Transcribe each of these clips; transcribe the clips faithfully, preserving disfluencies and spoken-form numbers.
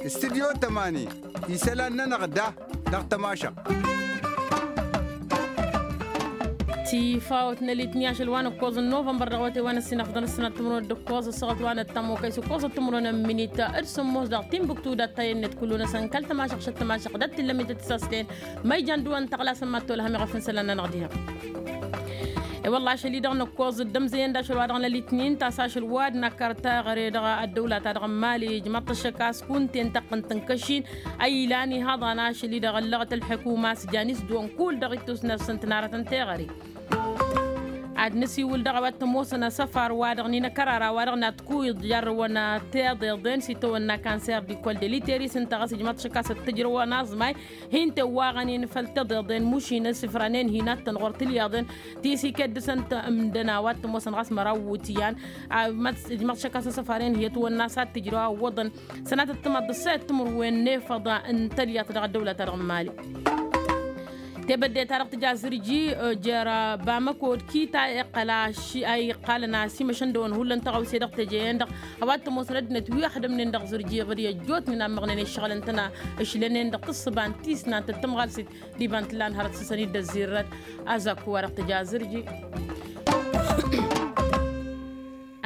Studyo tămani isălan-nănăɣ da dăɣ-tămašăɣt. Tifawt n-elitni ašăl wa n-ǝkkoẓ n-novămbăr dăɣ-awătay wa n-ăssinăfḍăn ăssinăt timǝrwen d-ǝkkoẓ ăssaɣăt wa n-ăttămokăy s-ǝkkoẓăt timǝrwen n-minit d-sǝmmos dăɣ-timbuktu d-ăttayănnet kullu-năsăn kăl-tămašăɣt šăt tămašăɣt d-ăttilămit d-tisăslen. Ma ijan dăɣ-wăn tăɣlasăn mad-tolhăm iɣăf n-isălan-nănăɣ diha. E-wălla ašăl-i-dăɣ nǝkkoẓ d-ămzăyăn d-ašăl wa dăɣ-nălitni n-tasašăl wa d-năkăr taɣăre dăɣ-ăddăwla-ta-dăɣ n-mali ijmăḍ-t ăššăk a-s kunta-en taqqǝnt n-kăšin a ilan ihăḍan ašăl-i-dăɣ ăllăɣăt ălḥukuma a-s jan isdǝwăn kull dăɣ-ittus n-ad-săn tǝnarătăn teɣăre. Ad-nǝsiwǝl dăɣ-a-wa t-ămoosăn asăfar wa dăɣ-ninăkărara wa dăɣ-natkuyǝḍ jarrăwăn tiḍeḍen s-itawănna kanser d-ikol d-eliteris ǝnta ɣas ijmăḍ-t ăššăk a-s ăttǝjrăwăn aẓmay. Hin-tewwaɣăn-in făll-tiḍeḍen mušin asǝfranen hin-attăn ɣur-tilyaḍen ti s-ikeddǝsăn ǝmdăn a-wa t-ămoosăn ɣas măraw iwǝtyan. Ijmăḍ-t ăššăk a-s asăfaren hi-ătwănna s-ad-tǝjrăw a ǝwwăḍăn sănatăt timaḍt d-ǝssayăt timǝrwen n-efăḍ n-tălyăḍt dăɣ-ăddăwlăt-ta-dăɣ n-mali. Tebădde-ta-dăɣ tǝja zǝrji jer-bamăko d-kita iqqăl a iqqalăn a ăsimăšăn dăɣ-wăn hullan tăɣawse dăɣ-teje-en-dăɣ. A-wa t-ămoosăn ăddinăt wi ăxdămnen dăɣ-zǝrji iɣǝd i-ăjjootnen a ǝmmăɣnen iššăɣǝlăn-tăn a ǝšlănen dăɣ-tǝssǝba n-tisnant d-tămɣalset d-iba n-tǝllan hărăt s-săn-dd-ăzzirrăt. Azakku wa dăɣ-tǝja zǝrji.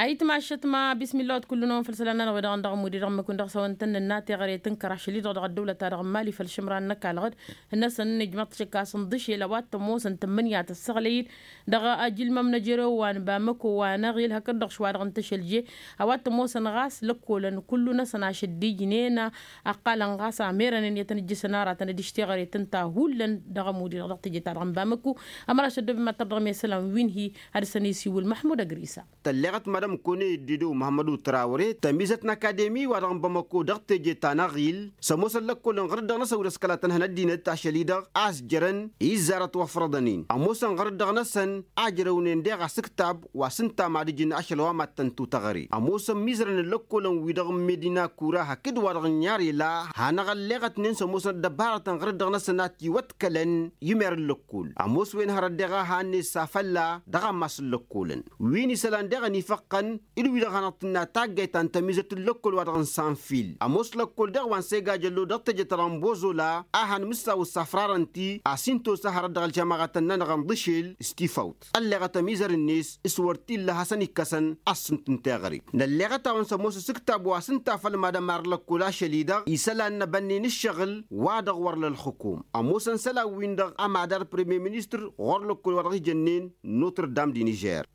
Ayǝtmašăt ma bismilla wăt kull-năwăn făll-isălan-nănăɣ wi-dăɣ n-dăɣ ămud-i-dăɣ ǝmmǝk-win dăɣ-s a-wăn tăn-nǝnna teɣăre tǝnkăr ašăl-i-dăɣ dăɣ-ăddăwlăt-ta-dăɣ n-mali făll-išǝmran n-ăkall ɣǝd-năsăn ijmăḍ-t šăkk a-s ǝnḍǝšel a-wa t-ămoosăn tǝmmǝnǝya tăssăɣlăy-dd dăɣ-ajǝlmăm n-ejărew wa n-bamăko wa n-aɣil hakd-dăɣ šwa dăɣ-n tăšălje. A-wa t-ămoosăn ɣas lăkkolăn kullu-năsăn ašăl dd-ijnen ăqqalăn ɣas amerănen i-ad-tăn-ǝjjǝsăn aratăn d-išteɣăret ǝnta hullan dăɣ-ămud-i-dăɣ dăɣ-teje-ta-dăɣ n-bamăko. Ămărašăt dd-ăbimad-tăr dăɣ-mesălan wi n-hi ad-dăr-săn isiwǝl măḥmud ăgrisa. Tălleɣăt madam kone dd-idǝw măhămmădu trawre tămizăt n-akademi-wa-dăɣ n-bamăko dăɣ-teje ta n-aɣil s-ămoosăn lăkkolăn ɣǝr-dd dăɣ-năsăn wi dăɣ-s kăla tăn-hăn ăddinăt ašăl-i-dăɣ a-s jărăn izzarăt wăfrăḍăn-in ămoosăn ɣǝr-dd dăɣ-năsăn a jărăwnen deɣ asǝktab wa s-ǝnta mad-ǝjǝn ašăl wa mad-tăn-tutăɣăre ămoosăn mizărăn n-lăkkolăn-wi-dăɣ n-medina kura hakd-wa-dăɣ n-yarela hanăɣ-ălleɣătnen s-ămoosăn ăddăbarătăn ɣǝr-dd dăɣ-năsăn a tiwătkălăn i-mer n-lăkkol ămoos wen hărăt deɣ a hannen s-afălla dăɣ-ammas n-lăkkolăn wi n-isălan deɣ ănifăqqăn d-wi-dăɣ hanăɣ-tǝnna taggayt ta n-tămizăt n-lăkkol wa dăɣ-n sanfil ămoos lăkkol deɣ wa n-sega jăllo dăɣ-teje-ta-dăɣ n-bozola a han-mǝssaw s-afrarăn-t-i a-s hin-tosa hărăt dăɣ-ălžămaɣătăn-nănăɣ n-dăšel s-tifawt ălleɣăt ămizărăn-net s-wăr t-illa hasăn-ikkăsăn ad-sǝntǝn teɣăre. Nălleɣăt-awăn s-ămoos asǝktab wa s-ǝnta făll-mad-ămar n-lăkkol ašăl-i-dăɣ isălan n-ebănnen ǝššăɣǝl wa dăɣ-wăr la ălxǝkum ămoosăn isălan-win-dăɣ ămadar premier ministăr ɣur-lăkkol wa dăɣ-ijănnen notre dame di nižer.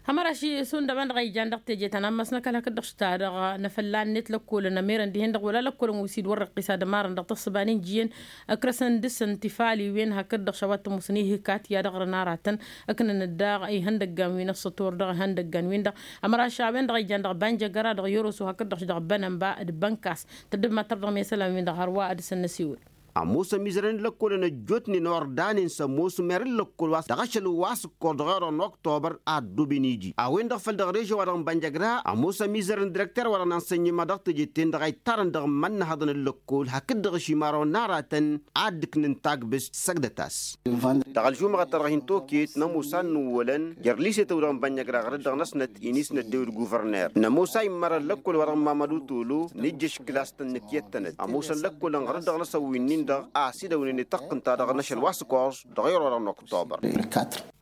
Hămăraš isundăbăn dăɣ-a ijan dăɣ-teje ta n-ammas n-ăkall hakd-dăɣ s-ta-dăɣ n-afălla-net lăkkolăn ămerăn dihen-dăɣ wăla lăkkolăn wi s-dd-wăr-răqqis ad-ămarăn dăɣ-tăssăba n-injǝyăn ǝkrăsăn dăr-săn tifaliwen hakd-dăɣ šawa t-ămusăn ihǝkat i-ad-ăɣrǝn aratăn. Ǝknăn-dd daɣ ihăndăggan wi n-ăssător dăɣ-ihăndăggan-win-dăɣ. Ămăraš a-wen-dăɣ ijan dăɣ-banjăgăra dăɣ-yoroso hakd-dăɣ dăɣ-bănănba d-bănkas. Tădd-ămmăttăr dăɣ-mesălan-win-dăɣ hărwa ad-dăr-săn năsiwǝl. Ămoos ămizărăn n-lăkkolăn ăjjootnen ordănen s-ămoos mer n-lăkkol wa dăɣ-ašăl wa s-ǝkkoẓ dăɣ-erăɣ n-oktobăr ad-dd-oben iji a-wen-dăɣ făl dăɣ-režion wa dăɣ-n bănjăgra ămoos ămizărăn direkter wa dăɣ-n ansănyăma dăɣ-teje-ten-dăɣ a ittarăn dăɣ-imănnăhăḍăn n-lăkkol hakd-dăɣ ašimar wa n-aratăn ad-dd-ǝknǝn tagbǝst săgdăt-as. Dăɣ-ălžumăɣăt-ta-dăɣ hin-toket nămoos a n-inǝwwălăn jer-lisetăw dăɣ-n bănjăgra ɣăr-dd dăɣ-năsnăt inis n-ăddew d-guvărner nămoos a immărăn lăkkol wa dăɣ-n mamădu tolo nǝjjăš klas-tăn nǝkyăttănăt ămoosăn lăkkolăn ɣăr-dd dăɣ-năsăn wi-nin-dăɣ a ăsidăwnen i-taqqǝnta dăɣ-năšăl wa s-ǝkkoẓ dăɣ-ero-dăɣ n-oktobăr.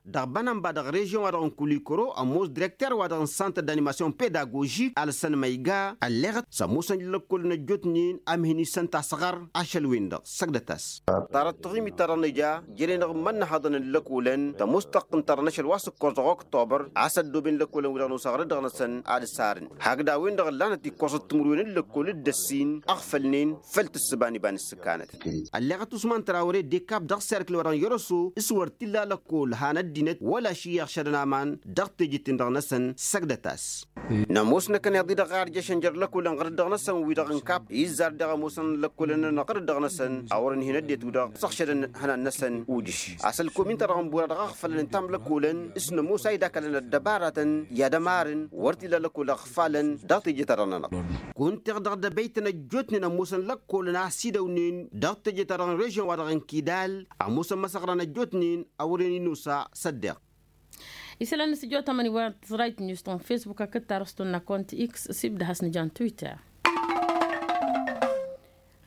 Dăɣ-bănănba dăɣ-režion wa dăɣ-n kulikoro ămoos direkter-wa-dăɣ n-santăr d-animasyon pedagožik alsăn ma iga ălleɣăt s-ămoosăn lăkkolăn ăjjootnen a mihni s-ănta asăɣăr ašăl-wen-dăɣ săgdăt-as. Tarăt taɣimit-ta-dăɣ nǝja jere-dăɣ n-imănnăhăḍăn n-lăkolăn tămoos taqqǝnt-ta-dăɣ n-ašăl wa s-ǝkkoẓ dăɣ-oktobăr a-s ăddooben lăkolăn-wi-dăɣ nosă ɣăr-dd dăɣ-năsăn ad-ǝsarăn hakd a-wen-dăɣ ǝllanăt ikkoẓăt timǝrwen n-lăkkol d-ăssin ăɣfălnen făll-tǝssǝba n-iba n-ǝssǝkanăt. Ălleɣăt usman trawre dekab dăɣ-serkǝl wa dăɣ-n yărăso s-wăr t-illa lăkkol han ăddinăt wăla ašǝyyăɣ šădăn aman dăɣ-teje-ten-dăɣ-năsăn săgdăt-as. Nămoos năkkăneḍ-i-dăɣ a ărjăšăn jer-lăkolăn ɣăr-dd dăɣ-năsăn wi-dăɣ n-kap izzar deɣ ămoosăn lăkolăn-nănăɣ ɣăr-dd dăɣ-năsăn a wărăn hin-ăddinăt wi-dăɣ săɣšădăn ihănan-năsăn ujǝš. A-s ălkomin-ta-dăɣ n-bura dăɣ-aɣfălăn ǝnta a-m lăkolăn s-nămoos a idakălăn ăddăbaratăn i-ad-ămarăn wăr t-illa lăkol ăɣfalăn dăɣ-teje-ta-dăɣ-nănăɣ. Kunta-dăɣ d-abăytăn ăjjootnen ămoosăn lăkkolăn a ăsidăwnen dăɣ-teje-ta-dăɣ n-režion-wa-dăɣ n-kidal ămoosăn măsăɣran ăjjootnen a wăren inosa s-ăddeɣ. Isălan n-sijotămăn iwăr tăẓrayt n-yustăn facebook akăt tarăstun n-akont x sibdăhăs n-jan twitter.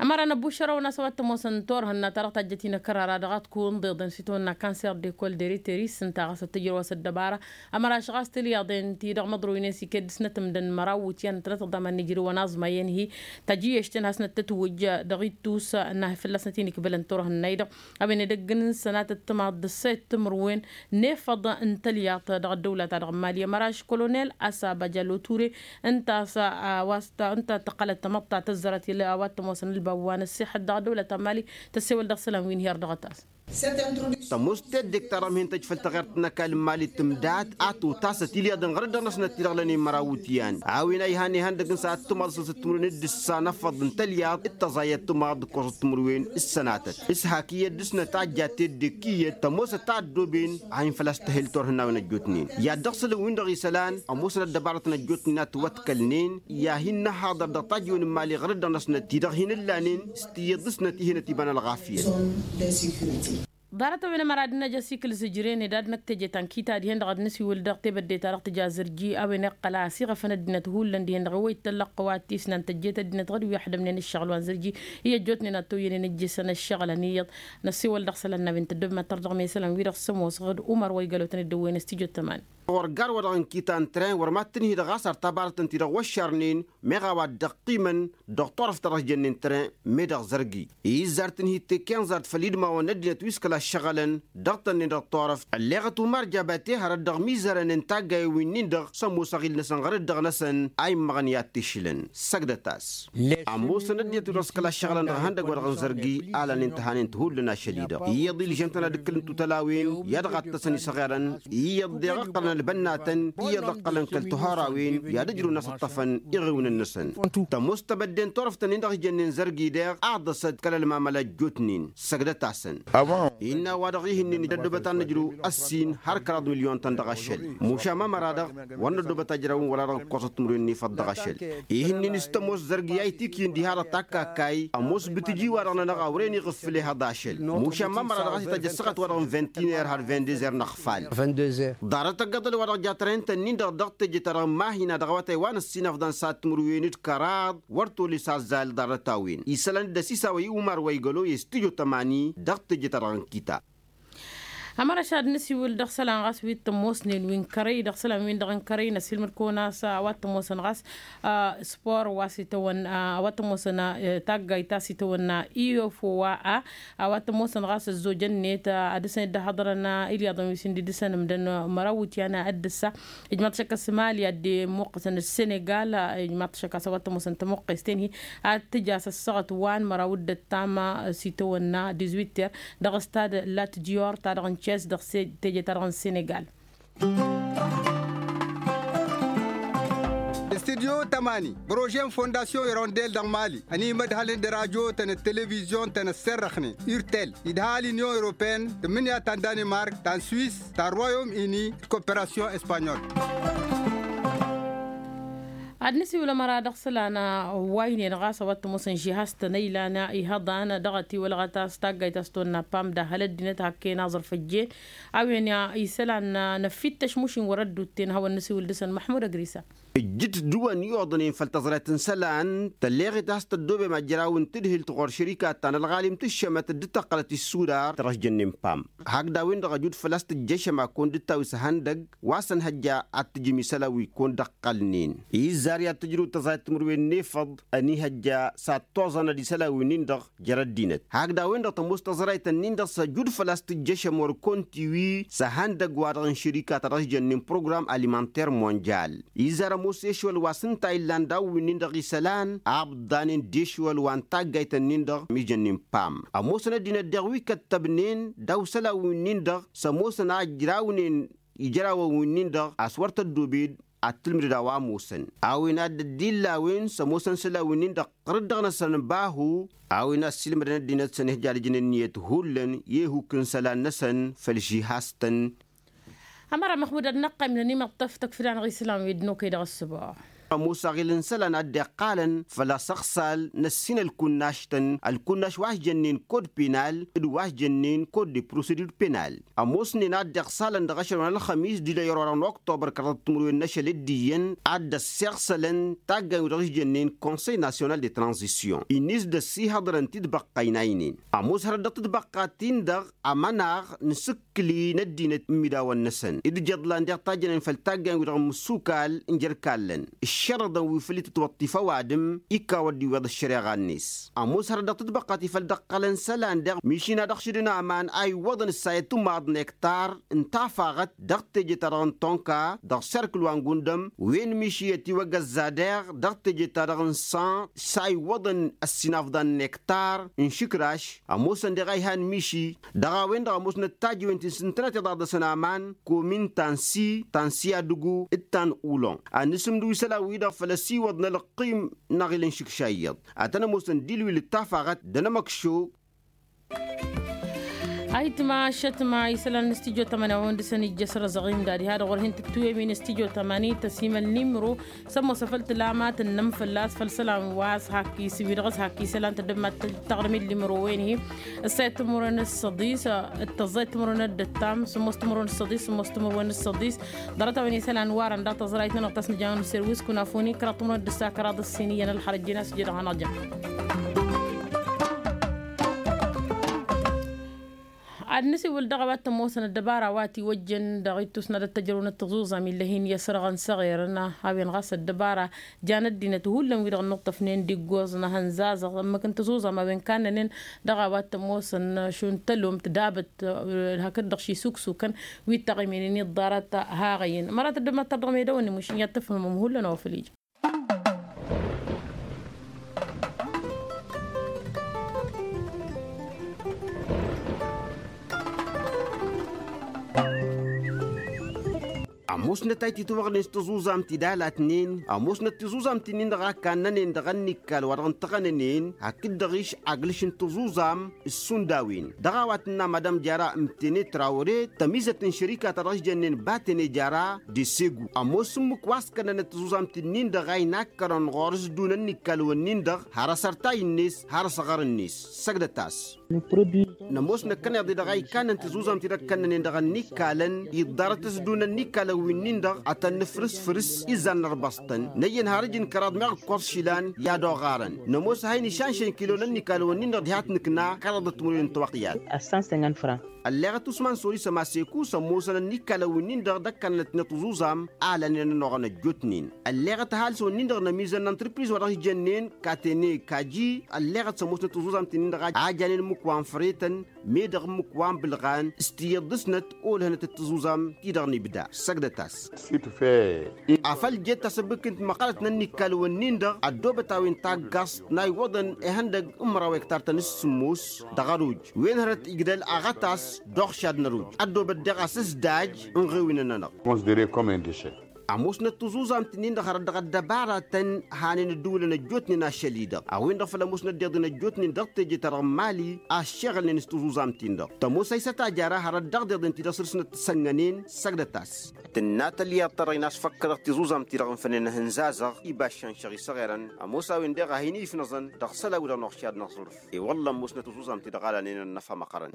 Ămăra n-ăbbušărăwăn a-s a-wa t-ămoosăn turhǝnna ta dăɣ-tajjăt-i n-akărara dăɣ-ad-kunḍeḍăn s-itawănna kanser de kol de riteris ǝnta ɣas ad-tǝjrăw a-s ăddăbara. Ămăra a-s ɣas tǝlyaḍen-ti-dăɣ măḍroynen s-iket dăɣ-snăt ǝmdăn măraw iwǝtyan ǝntănăt ăḍḍaman n-ijrǝwăn aẓma i-ănhi tajǝyyešten hasnăt-tătwǝjj dăɣ-ittus n-a fălla-snăt-in ikbălăn turhǝnna-i-dăɣ. A-wen edăgg n-sănatăt timaḍ d-ǝssayăt timǝrwen n-efăḍ n-tălyaḍt dăɣ-ăddăwla-ta-dăɣ n-mali ămăraš kolonel asaba jalo ture. Ǝnta a-s a-wa s-ta ǝnta tăqqălăt tamăḍt ta tăzzărăt i-a-wa t-ămoosăn ălbab wa n-ăssixăt dăɣ-ăddăwlăt ta n-mali. Tăssewăl dăɣ-isălan wi n-her-dăɣ a tas. Tămoos teddek ta dăɣ-mihǝntăj făll-taɣert n-ăkall n-mali tǝmdat a totasăt ilyaḍăn ɣărăt dăɣ-năsnăt-ti-dăɣ lănen măraw iwǝtyan a-wen a ihăn ihăndăg n-săɣăt timaḍ s-săt timǝrwen d-ǝssa n-afăḍ n-tălyaḍ d-tăẓayăt timaḍ d-ǝkkoẓăt timǝrwen s-sănatăt s-hak iyyăt dăɣ-snăt a ăjja teddek iyyăt tămoosăt a ăddooben a hin-făl-a-s tăhel turhǝnnawen ăjjootnen i-ad-dăɣ-sălăn-win-dăɣ isălan ămoosăn ăddăbarătăn ăjjootnen a tiwătkălnen. I-ad-hin-năhaḍăr dăɣ-tajǝwen n-mali ɣărăt dăɣ-năsnăt-ti-dăɣ hin-ǝllanen s-tiyyăḍ dăɣ-snăt ih'-inăt iba n-ălɣafyăt. Ḍarăt-a-wen ămăra ad-năj asikǝl zǝjren ed ad-năkk teje ta n-kita dihen-dăɣ ad-nǝsiwǝl dăɣ-tebădde-ta-dăɣ tǝja zărji a-wen iqqăl a ăsiɣăfăn ăddinăt hullan dihen-dăɣ i-wa ittăllăqqăw ad-t-isnan tăjjet ăddinăt ɣǝd wi ăḥdămnen ǝššăɣǝl wa n-zărji. I-ăjjootnen ad-t-oyyănen ǝjjǝsăn ǝššăɣǝlăn iyyăḍ. Năssiwăl dăɣ-isălan n-a-wen tăddobem ad-tărdăɣ mesălan-wi-dăɣ s-ămoosăɣ d-umăr wa igalotăn dd-ăwwăyăn s-tijot tăman. Wăr gar wa dăɣ-n kita n-tren wăr mad-tǝnhǝy dăɣ-a-s ar tabarăt ǝnta-i-dăɣ wăššarnen meɣ a-wa dd-ăqqimăn dăɣ-turăft ta dăɣ-s jănnen tren. Meddăɣ zărgi izzar tǝnhǝy tekken zart făll-idmawăn n-ăddinăt wi s-kăla ăššăɣǝlăn dăɣ-tănnen dăɣ-turăft ălleɣăt umar jabate hărăt dăɣ-mizărăn n-taggayen wi-nin-dăɣ s-ămoos aɣil-năsăn ɣărăt dăɣ-năsăn a immăɣăn i-ad-t-išǝlăn. Săgdăt-as ămoosăn ăddinăt wi-dăɣ s-kăla ăššăɣǝlăn dăɣ-ihăndăg wa dăɣ-n zărgi. Alăn-in tăhanen-t hullan ašăl-i-dăɣ iyyăḍ ilžăn-tăn ad-ǝkkǝlăn tutălawen i-ad-ɣattăsăn isăɣerăn iyyăḍ deɣ ǝqqălăn ălbănnatăn iyyăḍ ǝqqălăn kăl-tihărawen i-ad-ǝjrǝwăn a-s ǝṭṭăfăn iɣǝwnen-năsăn. Tămoos tebădde n-turăft-nin-dăɣ ijănnen zărgi deɣ aḍăsăt kăl-ălmamăla ăjjootnen săgdăt-asăn. Innă a-wa-dăɣ ihǝnnin ăddobăt ad-nǝjrǝw ăssin har kăraḍ milyon-tăn dăɣ-ašăl. Mušan mămăra-dăɣ wăr năddobăt ajrawăn wăla dăɣ-ǝkkoẓăt timǝrwen n-efăḍ dăɣ-ašăl. Ihǝnnin s-tămoos zărgi a itikǝyǝn diha-dăɣ takkakay ămoos bǝtǝji-wa-dăɣ-nănăɣ a wăren iɣǝffǝl ehăḍ ašăl. Mušan mămăra-dăɣ a-s itajj ăssaɣăt-wa-dăɣ n-vingt-une heure har vingt-deux heure n-ăɣfal. Ḍarăt ăggaḍăl-wa-dăɣ ja tărhen-tăn-in-dăɣ dăɣ-teje-ta-dăɣ n-mahina dăɣ-awătay wa n-ăssinăfḍan s-ad-timǝrwen d-kăraḍ wăr tolăs azzal ḍarăt-a-wen isălan dd-ăsisawăy umar wa igălo i-stujo tămani dăɣ-teje-ta-dăɣ n-kita. Ămărăš ad-nǝsiwǝl dăɣ-isălan ɣas wi t-ămoosnen wi n-kărăy dăɣ-isălan-win-dăɣ n-kărăy năsilmăd-kăwăn a-s a-wa t-ămoosăn ɣas spor wa s-itawănna a-wa t-ămoosăn taggayt ta s-itawănna i-ofo wa a a-wa t-ămoosăn ɣas ăzzojăn-net ad-dăr-săn dd-ăhhăḍărăn ilyaḍăn wi s-indidǝsăn ǝmdăn măraw iwǝtyan ad-dăr-sa. Ijmaḍ šăkk ăsmali ad-dd-imuqqăsăn d-senegal. Ijmaḍ šăkk a-s a-wa t-ămoosăn tămuqqes-ten-hi ad-tǝj a-s ăssaɣăt wa n-măraw d-ăttam s-itawănna dizwitter dăɣ-stad lat dior ta dăɣ-n tšes dăɣ-teje ta dăɣ-n senegal. Studyo tămani prože n-fondasyon irondel dăɣ-mali ănimădhălăn d-radyo-tăn d-televizyon-tăn ăssărrăxnen urtel idha l-inyon europene tǝmmǝnǝya ta n-danimark ta n-swis ta n-royom ini d-koperasyon espanyol. Ad-nǝsiwǝl ămăra dăɣ-isălan wa ǝynen ɣas a-wa t-ămoosăn žihastăn ăylan ihăḍan dăɣ-ătiwălɣăt a-s taggayt a-s tonna pam d-ahăl ăddinăt hakken aẓrǝf ăjjeen. A-wen isălan n-ăffittăš mušin wăr-ăddutten hawăn-nǝsiwǝl dăɣ-săn măḥmud ăgrisa. Ǝjjǝt dd-wăn iwăḍnen făll-tăẓrayt n-isălan tălleɣet a-s tăddobem ajraw n-tadhǝlt ɣur-šărikat ta n-ălɣalim tǝššămăt dd-tăqqălăt issudar ta dăɣ-s jănnen pam. Hakd a-wen-dăɣ ăjud făl-a-s tǝjjăšăm ad-kăwăn-dd-tawǝs ehăndăg wa s-ănhăjja ad-tǝjǝm isălan wi kăwăn-dd-ăqqălnen. Izzar i-ad-tǝjrǝw tăẓrayt timǝrwen n-efăḍ ănihăjja s-ad-toẓănăd isălan wi-nin-dăɣ jer-ăddinăt hakd a-wen-dăɣ tămoos tăẓrayt-ǝnnin-dăɣ s-ăjud făl-a-s tǝjjăšăm wăr-kăwăn-tiwi s-ehăndăg-wa-dăɣ n-šărika ta dăɣ-s jănnen program alimanter monjal. Izzar ămoos ešwăl wa s-ǝnta illan daw-wi-nin dăɣ-isălan a ǝbḍanen d-ešwăl wa n-taggayt-ǝnnin-dăɣ mi jănnen pam ămoosăn ăddinăt deɣ wi kăttăbnen daw-isălan-wi-nin-dăɣ s-ămoosăn a ǝjrawnen ijrawăn-wi-nin-dăɣ a-s wăr tăddobed ad-tǝlmǝdăd a-wa ămoosăn. A-wen a dd-illa a-wen s-ămoosăn isălan-wi-nin-dăɣ ɣǝrǝd dăɣ-năsăn bahu a-wen a ăssiilmădăn ăddinăt s-ănihăjja ad-ǝjǝn ǝnniyăt hullan i-ehuk n-isălan-năsăn făll-žihastăn. Ămăra măxmud ad-năqqăym nănimăṭṭăf tăkfǝd-anăɣ isălan wi dd-nokăy dăɣ-ăssǝboɣ. Ămoos aɣil n-isălan a dd-iqqalăn făll-asăɣsal n-ăssin ălkunnaš-tăn ălkunnaš wa s-jănnen kod penal d-wa s-jănnen kod de prosedur penal. Ămoosnen a dd-iɣsalăn dăɣ-ašăl wa n-ălxămis d-ilăy ărwa dăɣ-n oktobăr kăraḍăt timǝrwen n-ašăl d-iyyăn a dd-ăssiɣsălăn taggayǝw dăɣ-s jănnen konsăy nasyonal de tranzisyon-i n-is d-ăssihăḍărăn tidbăqqa inaynen. Ămoos hărăt dăɣ-tidbăqqa-tin-dăɣ ămănaɣ n-asǝkkǝli n-ăddinăt n-imidawăn-năsăn d-ijǝḍlan deɣ tajjănen făll-taggayen-wi-dăɣ n-imǝssukal n-jer-ikallăn ǝššărăḍăn wi făll-itǝtwăṭṭif ăwadǝm. Ikawăd d-iwweḍ ăššăreɣa-net. Ămoos hărăt dăɣ-tidbăqqat-i făll-dd-ăqqălăn isălan deɣ miši n-ad-ăɣšǝdăn aman a iwwăḍăn ǝssayăt umaḍ n-ektar n-tafaɣăt dăɣ-teje-ta-dăɣ n-tonka dăɣ-serkǝl wa n-gundăm wen miši ătiwăgăzza deɣ dăɣ-teje-ta-dăɣ n-san s-a iwwăḍăn ăssinafḍan n-ektar n-išǝkraš. Ămoosăn deɣ a ihan miši dăɣ-a-wen-dăɣ ămoosnăt tajǝwen ti n-sǝntănăt iḍaḍăsăn aman komin ta n-si ta n-si adǝgu d-ta n-ulon ad-nǝsǝmdǝw isălan-wi-dăɣ făll-ăsiwăḍ n-ălqim n-aɣil n-išǝkša iyyăḍ ad-tăn-ămoosăn d-ilwil d-tafaɣăt d-anămăkšo. Ayǝtma ašătma isălan n-studyo tămănăwăn dăɣ-săn ijjăs răzăɣim da diha dăɣ-wăr hin-tǝttǝwem-in studyo tămani tăsimăl nimro s-ămoos afăl tǝlamat ǝnnăm fălla-s făll-isălan wa s-hak isǝwi dăɣ-s hak isălan tăddămmat tăɣrǝm-dd imro wen-hi. Ǝssayăt timǝrwen s-săḍis d-tăẓẓayăt timǝrwen d-ǝttam sǝmmos timǝrwen s-săḍis sǝmmos timǝrwen s-săḍis. Ḍarăt-a-wen isălan warăn daɣ tăẓrayt-nănăɣ ta s-nǝjănăn s-erwǝs kunafuni kăraḍ timǝrwen d-ǝssa kăraḍ ǝssin iyyăn ălxărăt jena s-ija dăɣ-hanăɣ-jăn. Ad-nǝsiwǝl dăɣ-a-wa t-ămoosăn ăddăbara wa t-iwăjjăn dăɣ-ittus n-ad-ăttăjrăwnăt tăẓuẓam ill'-e-hin i-asărɣăn s-eɣerăn a-wen ɣas ăddăbara jan ăddinăt hullan wi-dăɣ ǝnnǝṭṭăfnen d-iggoẓ n-ehăn zaẓăɣ ǝmmǝk n-tăẓuẓam a-wen kannănen dăɣ-a-wa t-ămoosăn šund tălomt dabăt hakd-dăɣ šisuksukăn wi t-taɣiminen i-ăḍḍarăt haɣăyăn mărat ăddăbmat ta dăɣ-medăwăn imušǝn i-ad-tǝfhǝmăm hullan a-wa făl ija. Ămoosnăt a ititwăɣnen s-tăẓuẓamt-i d-alatnen ămoosnăt tiẓuẓamt-in-dăɣ a kannănen dăɣ-ănnikkal wa dăɣ-ǝntăɣănănen hakd-dăɣ-iš aglǝš n-tăẓuẓam s-sund a-wen dăɣ-a-wa tǝnna madam jara ǝmtene trawre tămizăt n-šărika ta dăɣ-s jănnen batene jara d-esegu ămoos ǝmmǝk wa s-kănnănăt tiẓuẓamt-in-dăɣ a inakkărăn ɣur-s dun ănnikkal-wǝnnin-dăɣ har ăsărtay-net har ăsăɣăr-net. Săgdăt-as. Nămoos năkkăneḍ-i-dăɣ a ikkannăn tiẓuẓamt-i-dăɣ kănnănen dăɣ-ănnikkalăn iḍḍarăt s-dun ănnikkalăn wi-nin-dăɣ ad-tăn-nǝfrǝs-frǝs izzan n-ărbăẓtăn năyyăn har ǝjǝn kăraḍ meɣ ǝkkoẓ išilan i-ad-oɣarăn. Nămoos a hin-išănšăn kilo n-ănnikkalăn-wǝnnin-dăɣ diha t-nǝkna kăraḍăt timǝrwen n-tawăqyad. Ălleɣăt usman sori sămaseku s-ămoosăn ănnikkalăn-wǝnnin-dăɣ d-ăkkannănăt-net tiẓuẓam a lanen ănnuɣăn ăjjootnen. Ălleɣăt ăhalǝs-wǝnnin-dăɣ n-ămizăn n-antrǝpriz wa dăɣ-s jănnen katene kaji ălleɣăt s-ămoosnăt tiẓuẓamt-nin-dăɣ a janen ǝmmǝk wa n-frăyătăn meddăɣ ǝmmǝk wa n-bǝlɣan s-tiyyăḍ dăɣ-snăt olhănăt d-tiẓuẓam-ti-dăɣ n-ibda. Săgdăt-as. Afăl jet tasǝbbǝkǝnt măqqălăt n-ănnikkal-wǝnnin-dăɣ ăddoobăt a-wen taggăẓt n-a iwwăḍăn ihăndăg n-măraw ektar-tăn s-sǝmmos dăɣ-ăruj wen hărăt igdăl aɣătas d-oɣšad n-ăruj ăddoobăt deɣ asǝzdaj n-iɣewen-nănăɣ. Ămoosnăt tiẓuẓamt-nin-dăɣ hărăt dăɣ-ăddăbaratăn hanen ǝddǝwǝlăn ăjjootnen ašăl-i-dăɣ a-wen-dăɣ făl ămoosnăt deḍen ăjjootnen dăɣ-teje-ta-dăɣ n-mali a ăššeɣălnen s-tiẓuẓamt-in-dăɣ tămoos a isăt ajara hărăt dăɣ-deḍen-ti-dăɣ săr-snăt t-sănnănen. Săgdăt-as. Tǝnna tălyaḍt ta dăɣ-in-asfăkkădăɣ tiẓuẓamt-i-dăɣ n-fănnen ehăn zazăɣ iba ăššănšăɣ isăɣerăn ămoos a-wen deɣ a hin-ifnăẓăn dăɣ-isălan-wi-dăɣ n-oɣšad n-aẓrǝf. I-wălla ămoosnăt tiẓuẓamt-i-dăɣ a lanen ănnăfa măqqărăn.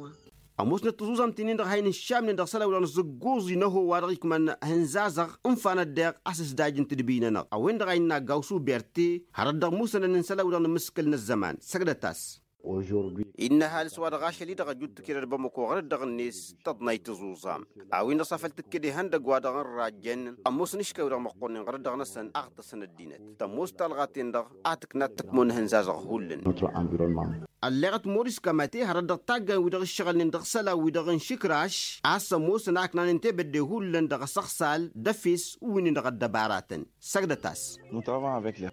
Ămoosnăt tiẓuẓamt-nin-dăɣ a hin-iššamnen dăɣ-isălan-wi-dăɣ n-azǝgguẓ-i n-ăho wa dăɣ-ikmăn ehăn zazăɣ ǝnfanăt deɣ asǝsdaj n-tedbi-nănăɣ a-wen-dăɣ a innă gawsu berte hărăt dăɣ-musănăn n-isălan-wi-dăɣ n-imǝskǝl n-ăzzăman. Săgdăt-as. Innă ăhalǝs wa dăɣ-ašăl-i-dăɣ ăjut tikǝlăt bămăko ɣărăt dăɣ-net tăḍnay tiẓuẓam a-wen-dăɣ s-afăl tǝkked ihăndăgg wa dăɣ-n rajjăn ămoosăn iškăy-wi-dăɣ măqqonen ɣărăt dăɣ-năsăn a ăɣtăsăn ăddinăt tămoos talɣa-ten-dăɣ a tǝknat tǝkmo n-ehăn zazăɣ hullan. Ălleɣăt moris kămate hărăt dăɣ-taggayn-wi-dăɣ ǝššăɣǝlnen dăɣ-isălan-wi-dăɣ n-išǝkraš a-s ămoosăn a ǝknanen tebădde hullan dăɣ-asăɣsal d-efes wi-nin-dăɣ ăddăbaratăn. Săgdăt-as.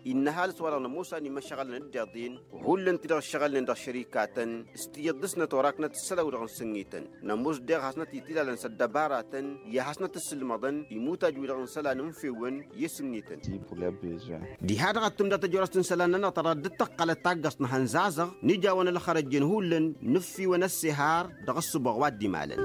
Innă ăhalǝs-wa-dăɣ nămoos a nimăšăɣălăn dd-iḍen hullan-ti-dăɣ ǝššăɣǝlnen dăɣ-šărikatăn s-tiyyăḍ dăɣ-snăt oraknăt ǝssălan-wi-dăɣ n-sǝnnităn. Nămoos deɣ hasnăt-itilalăn s-ăddăbaratăn i-ad-hasnăt-ǝssǝlmăḍăn imutaj-wi-dăɣ n-isălan n-fewăn i-sǝnnităn. Diha-dăɣ ad-tǝmdăt ăjorăst n-isălan-nănăɣ ta dăɣ-dd-tăqqălăt taggăẓt n-ehăn zazăɣ n-ija a-wa n-ălxărăjjăn hullan n-ǝffiwăn ăssihar dăɣ-ǝssǝboɣ wa dd-imalăn.